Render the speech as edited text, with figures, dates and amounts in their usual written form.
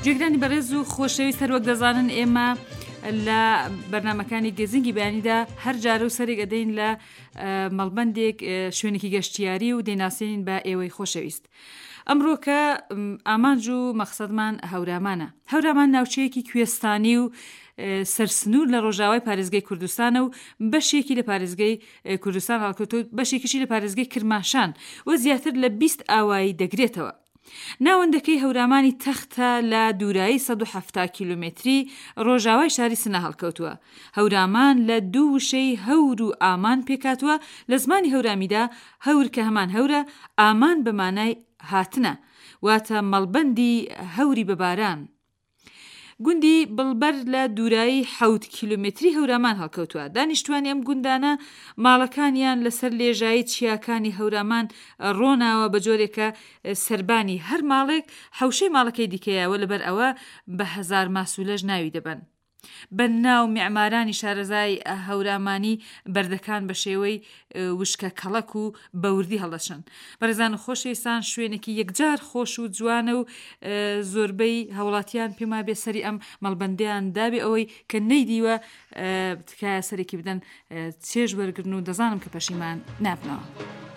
جێگرانی بەڕێز و خۆشەویست هەروەک دەزانن ئێمە لە بەرنمەکانی گەزینگی بەیانیدا هەر جارە و سەرێک ئەدەین لە مەڵبندێک شوێنێکی گەشتیاری و دەیناسێنین بە ئێوەی خۆشەویست. ئەمڕۆکە ئامانج و مەخسەدمان هەورامانە. هەورامان ناوچەیەکی کوێستانی و سەرسنوور لە ڕۆژاوای پارێزگەی کوردستانە و بەشێکی لە پارێزگەی کوردستان هەڵکەوتووە بەشێکیشی لە پارێزگەی کرماشان و زیاتر لە 20 ئاوایی دەگرێتەوە. ناوەندەکەی هەورامانی تەختە لە دوورایی 170 کیلۆمەتری ڕۆژاوای شاری سنە هەڵکەوتووە. هەورامان لە دوو وشەی هەور و ئامان پێکهاتووە، لە زمانی هەورامیدا هەور کە هەمان هەورە، ئامان بە مانای هاتنە، واتە مەڵبەندی هەوری بە باران. گوندی بڵبەر لە دوورایی حەوت کیلۆمەتری هەورامان هەڵکەوتووە. دانیشتووانی ئەم گوندانە ماڵەکانیان لەسەر لێژایی چیاکانی هەورامان ڕۆناوە بە جۆرێک کە سەربانی هەر ماڵێک حەوشەی ماڵەکەی دیکەیە و لەبەر ئەوە بە هەزارماسوولەش ناوی دەبەن. بەننا و میعمارانی شارەزای هەورامانی بەردەکان بە شێوەی وشکە کەڵەک و بە وردی هەڵدەچنن. بەڕێزان و خۆشەویستان شوێنێکی یەکجار خۆش و جوانە و زۆربەی هاوڵاتیان پێم وابێ سەری ئەم مەڵبەندەیان دابێ ئەوەی کە نەیدیوە تکایە سەرێکی بدەن چێژ وەرگرن و دەزانم کە پەشیمان نابنەوە.